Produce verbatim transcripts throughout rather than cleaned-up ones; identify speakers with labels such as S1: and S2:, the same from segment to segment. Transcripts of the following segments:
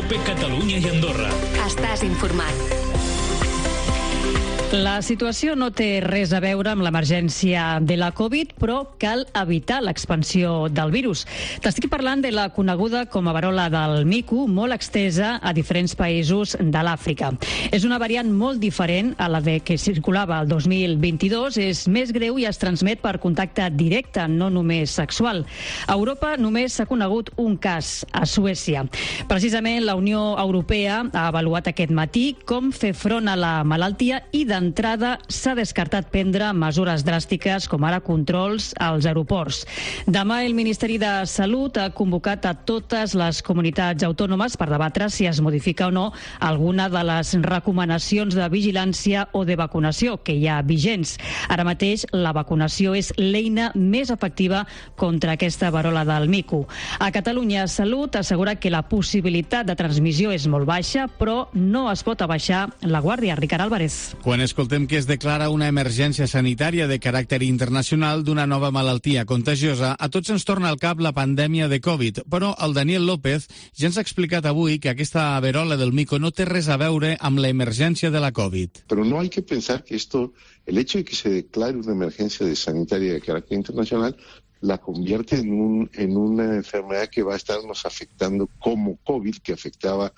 S1: COPE Catalunya i Andorra.
S2: Estàs informat.
S3: La situació no té res a veure amb l'emergència de la Covid, però cal evitar l'expansió del virus. T'estic parlant de la coneguda com a verola del mico, molt extesa a diferents països de l'Àfrica. És una variant molt diferent a la de que circulava el dos mil vint-i-dos, és més greu i es transmet per contacte directe, no només sexual. A Europa només s'ha conegut un cas, a Suècia. Precisament la Unió Europea ha avaluat aquest matí com fer front a la malaltia i de d'entrada s'ha descartat prendre mesures dràstiques com ara controls als aeroports. Demà el Ministeri de Salut ha convocat a totes les comunitats autònomes per debatre si es modifica o no alguna de les recomanacions de vigilància o de vacunació que hi ha vigents. Ara mateix la vacunació és l'eina més efectiva contra aquesta verola del mico. A Catalunya Salut assegura que la possibilitat de transmissió és molt baixa, però no es pot abaixar la guàrdia. Ricard Álvarez.
S4: Quan escoltem que es declara una emergència sanitària de caràcter internacional d'una nova malaltia contagiosa, a tots ens torna al cap la pandèmia de Covid, però el Daniel López ja ens ha explicat avui que aquesta verola del mico no té res a veure amb l'emergència de la Covid.
S5: Pero no hay que pensar que esto, el hecho de que se declare una emergencia de sanitaria de carácter internacional, la convierte en, un, en una enfermedad que va a estarnos afectando como COVID, que afectaba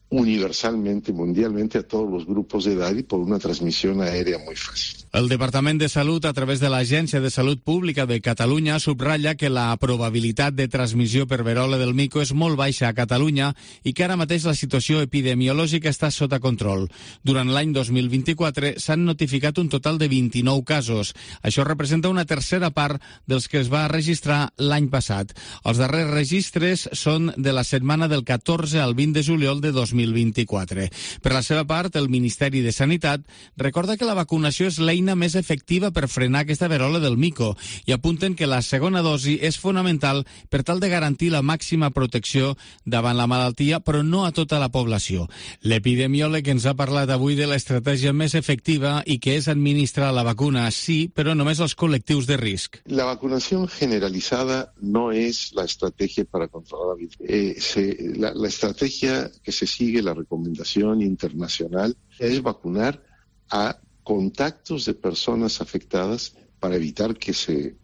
S5: universalmente, mundialmente, a todos los grupos de edad y por una transmisión aérea muy fácil.
S4: El Departament de Salut, a través de l'Agència de Salut Pública de Catalunya, subratlla que la probabilitat de transmissió per verola del mico és molt baixa a Catalunya i que ara mateix la situació epidemiològica està sota control. Durant l'any dos mil vint-i-quatre s'han notificat un total de vint-i-nou casos. Això representa una tercera part dels que es va registrar l'any passat. Els darrers registres són de la setmana del catorze al vint de juliol de dos mil vint-i-quatre. Per la seva part, el Ministeri de Sanitat recorda que la vacunació és l'eina més efectiva per frenar aquesta verola del mico i apunten que la segona dosi és fonamental per tal de garantir la màxima protecció davant la malaltia, però no a tota la població. L'epidemiòleg ens ha parlat avui de l'estratègia més efectiva i que és administrar la vacuna, sí, però només als col·lectius de risc.
S5: La vacunación generalizada no es la estrategia para controlar la vida. Eh, se, la, la estrategia que se sigue, la recomendación internacional, es vacunar a contactos de personas afectadas para evitar que se,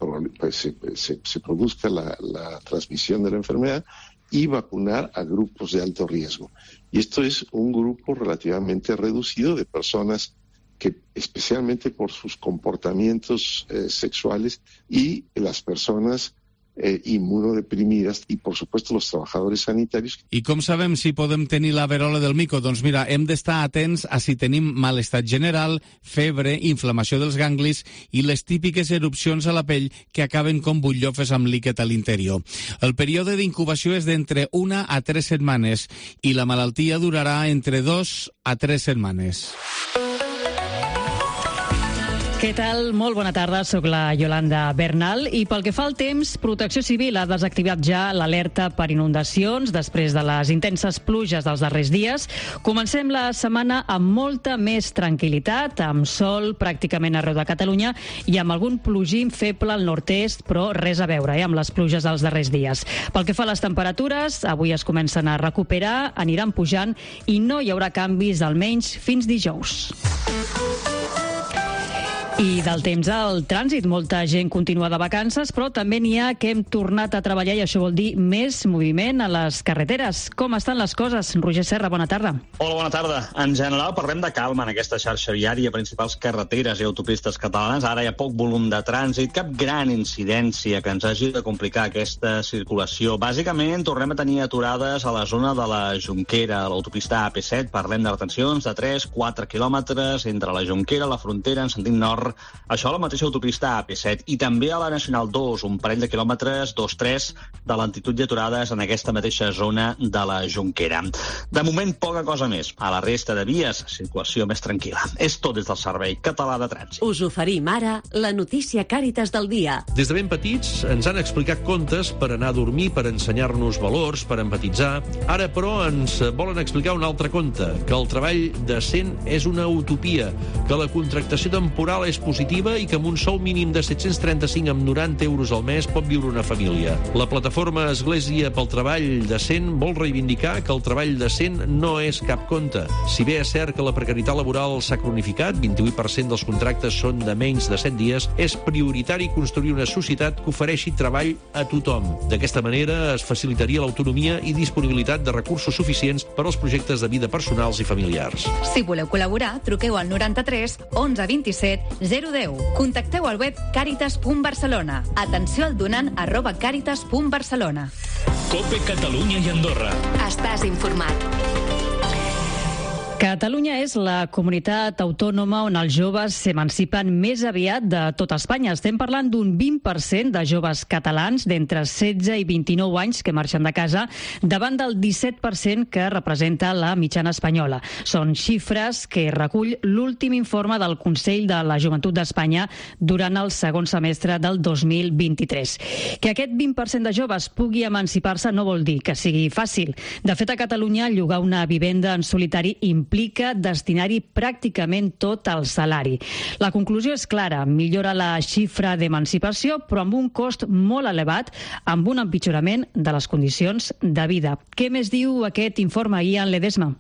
S5: se, se, se produzca la, la transmisión de la enfermedad y vacunar a grupos de alto riesgo. Y esto es un grupo relativamente reducido de personas que, especialmente por sus comportamientos eh, sexuales, y las personas Eh, inmunodeprimidas i, por supuesto, los trabajadores sanitarios.
S4: I com sabem si podem tenir la verola del mico? Doncs mira, hem d'estar atents a si tenim malestat general, febre, inflamació dels ganglis i les típiques erupcions a la pell que acaben com butllofes amb líquid a l'interior. El període d'incubació és d'entre una a tres setmanes i la malaltia durarà entre dos a tres setmanes.
S3: Què tal? Molt bona tarda, sóc la Yolanda Bernal i pel que fa al temps, Protecció Civil ha desactivat ja l'alerta per inundacions després de les intenses pluges dels darrers dies. Comencem la setmana amb molta més tranquil·litat, amb sol pràcticament arreu de Catalunya i amb algun plogim feble al nord-est, però res a veure eh, amb les pluges dels darrers dies. Pel que fa a les temperatures, avui es comencen a recuperar, aniran pujant i no hi haurà canvis almenys fins dijous. I del temps al trànsit, molta gent continua de vacances, però també n'hi ha que hem tornat a treballar i això vol dir més moviment a les carreteres. Com estan les coses? Roger Serra, bona tarda.
S6: Hola, bona tarda. En general parlem de calma en aquesta xarxa viària, principals carreteres i autopistes catalanes. Ara hi ha poc volum de trànsit, cap gran incidència que ens hagi de complicar aquesta circulació. Bàsicament, tornem a tenir aturades a la zona de la Jonquera, a l'autopista A P set. Parlem de retencions de tres a quatre quilòmetres entre la Jonquera, la Frontera, en sentit nord. Això a la mateixa autopista A P set i també a la Nacional dos, un parell de quilòmetres, dos tres, de lentitud i aturades en aquesta mateixa zona de la Jonquera. De moment, poca cosa més. A la resta de vies, circulació més tranquil·la. És tot des del Servei Català de Trànsit.
S2: Us oferim ara la notícia Càritas del dia.
S7: Des de ben petits ens han explicat contes per anar a dormir, per ensenyar-nos valors, per empatitzar. Ara, però, ens volen explicar un altre conte, que el treball decent és una utopia, que la contractació temporal és és positiva i que amb un sou mínim de set-cents trenta-cinc amb noranta euros al mes pot viure una família. La plataforma Església pel Treball Decent vol reivindicar que el treball decent no és cap conte. Si bé és cert que la precarietat laboral s'ha cronificat, vint-i-vuit per cent dels contractes són de menys de set dies, és prioritari construir una societat que ofereixi treball a tothom. D'aquesta manera es facilitaria l'autonomia i disponibilitat de recursos suficients per als projectes de vida personals i familiars.
S1: Si voleu col·laborar, truqueu al noranta-tres onze vint-i-set zero deu. Contacteu al web caritas punt barcelona. Atenció al donant arroba caritas punt barcelona.
S8: COPE Catalunya i Andorra.
S2: Estàs informat.
S3: Catalunya és la comunitat autònoma on els joves s'emancipen més aviat de tot Espanya. Estem parlant d'un vint per cent de joves catalans d'entre setze i vint-i-nou anys que marxen de casa, davant del disset per cent que representa la mitjana espanyola. Són xifres que recull l'últim informe del Consell de la Joventut d'Espanya durant el segon semestre del dos mil vint-i-tres. Que aquest vint per cent de joves pugui emancipar-se no vol dir que sigui fàcil. De fet, a Catalunya, llogar una vivenda en solitari implica implica destinar-hi pràcticament tot el salari. La conclusió és clara, millora la xifra d'emancipació, però amb un cost molt elevat, amb un empitjorament de les condicions de vida. Què més diu aquest informe, Ian Ledesma?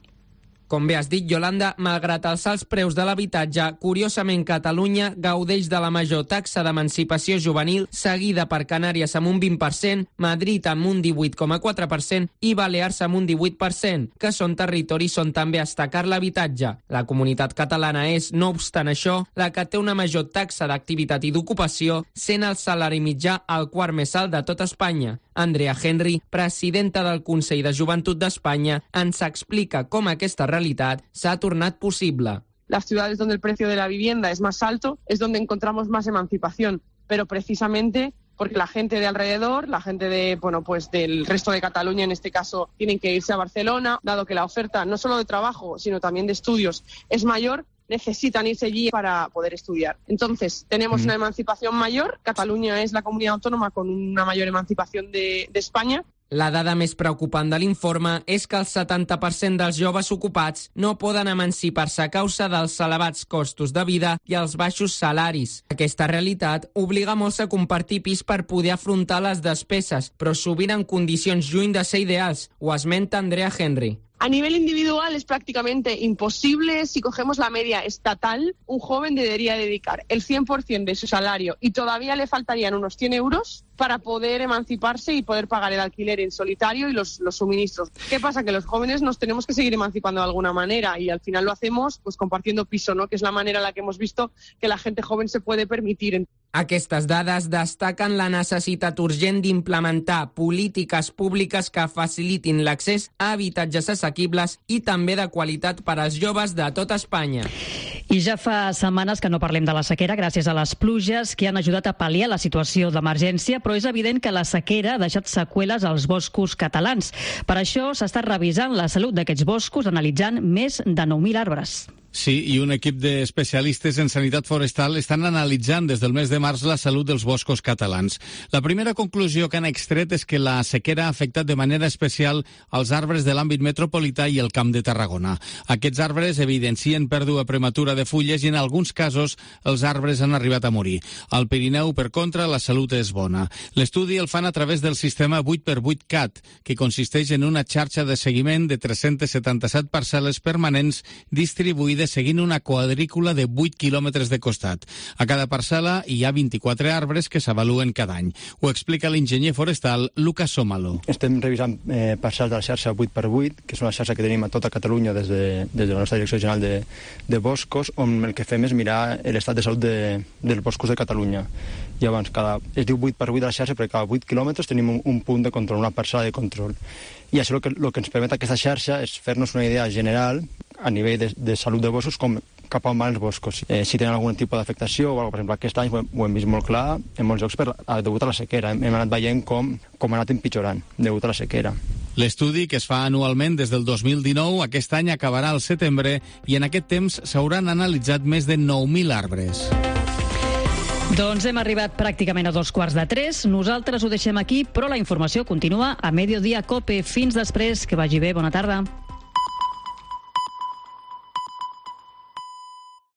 S9: Com bé has dit, Yolanda, malgrat els alts preus de l'habitatge, curiosament Catalunya gaudeix de la major taxa d'emancipació juvenil, seguida per Canàries amb un vint per cent, Madrid amb un divuit coma quatre per cent i Balears amb un divuit per cent, que són territoris on també es taca l'habitatge. La comunitat catalana és, no obstant això, la que té una major taxa d'activitat i d'ocupació, sent el salari mitjà el quart més alt de tot Espanya. Andrea Henry, presidenta del Consell de Joventut d'Espanya, ens explica com aquesta realitat s'ha tornat possible.
S10: Las ciudades donde el precio de la vivienda es más alto es donde encontramos más emancipación, pero precisamente porque la gente de alrededor, la gente de, bueno, pues del resto de Cataluña en este caso, tienen que irse a Barcelona, dado que la oferta no solo de trabajo, sino también de estudios es mayor, necesitan irse allí para poder estudiar. Entonces, tenemos mm. una emancipación mayor. Cataluña es la comunidad autónoma con una mayor emancipación de, de España.
S9: La dada més preocupant de l'informe és que el setanta per cent dels joves ocupats no poden emancipar-se a causa dels elevats costos de vida i els baixos salaris. Aquesta realitat obliga molts a compartir pis per poder afrontar les despeses, però sovint en condicions lluny de ser ideals, ho esmenta Andrea Henry.
S10: A nivel individual es prácticamente imposible. Si cogemos la media estatal, un joven debería dedicar el cien por ciento de su salario y todavía le faltarían unos cien euros para poder emanciparse y poder pagar el alquiler en solitario y los, los suministros. ¿Qué pasa? Que los jóvenes nos tenemos que seguir emancipando de alguna manera y al final lo hacemos pues compartiendo piso, ¿no? Que es la manera en la que hemos visto que la gente joven se puede permitir.
S9: Aquestes dades destaquen la necessitat urgent d'implementar polítiques públiques que facilitin l'accés a habitatges assequibles i també de qualitat per als joves de tot Espanya.
S3: I ja fa setmanes que no parlem de la sequera gràcies a les pluges que han ajudat a pal·liar la situació d'emergència, però és evident que la sequera ha deixat seqüeles als boscos catalans. Per això s'ha estat revisant la salut d'aquests boscos, analitzant més de nou mil arbres.
S4: Sí, i un equip d'especialistes en sanitat forestal estan analitzant des del mes de març la salut dels boscos catalans. La primera conclusió que han extret és que la sequera ha afectat de manera especial els arbres de l'àmbit metropolità i el Camp de Tarragona. Aquests arbres evidencien pèrdua prematura de fulles i en alguns casos els arbres han arribat a morir. Al Pirineu, per contra, la salut és bona. L'estudi el fan a través del sistema vuit per vuit C A T, que consisteix en una xarxa de seguiment de tres-cents setanta-set parcel·les permanents distribuïdes seguint una quadrícula de vuit quilòmetres de costat. A cada parcel·la hi ha vint-i-quatre arbres que s'avaluen cada any. Ho explica l'enginyer forestal Lucas Sómalo.
S11: Estem revisant eh, parcel·les de la xarxa vuit per vuit, que és una xarxa que tenim a tota Catalunya des de, des de la nostra Direcció General de, de Boscos, on el que fem és mirar l'estat de salut de, dels boscos de Catalunya. Llavors, cada, es diu vuit per vuit de la xarxa perquè cada vuit quilòmetres tenim un, un punt de control, una parcel·la de control. I això el que, el que ens permet aquesta xarxa és fer-nos una idea general a nivell de, de salut de boscos com cap on van els boscos. Eh, si tenen algun tipus d'afectació o alguna cosa. Per exemple, aquest any ho hem, ho hem vist molt clar en molts llocs per, a, degut a la sequera. Hem, hem anat veient com, com ha anat empitjorant degut a la sequera.
S4: L'estudi, que es fa anualment des del dos mil dinou, aquest any acabarà al setembre i en aquest temps s'hauran analitzat més de nou mil arbres.
S3: Doncs hem arribat pràcticament a dos quarts de tres. Nosaltres ho deixem aquí, però la informació continua a Mediodía Cope. Fins després, que vagi bé. Bona tarda.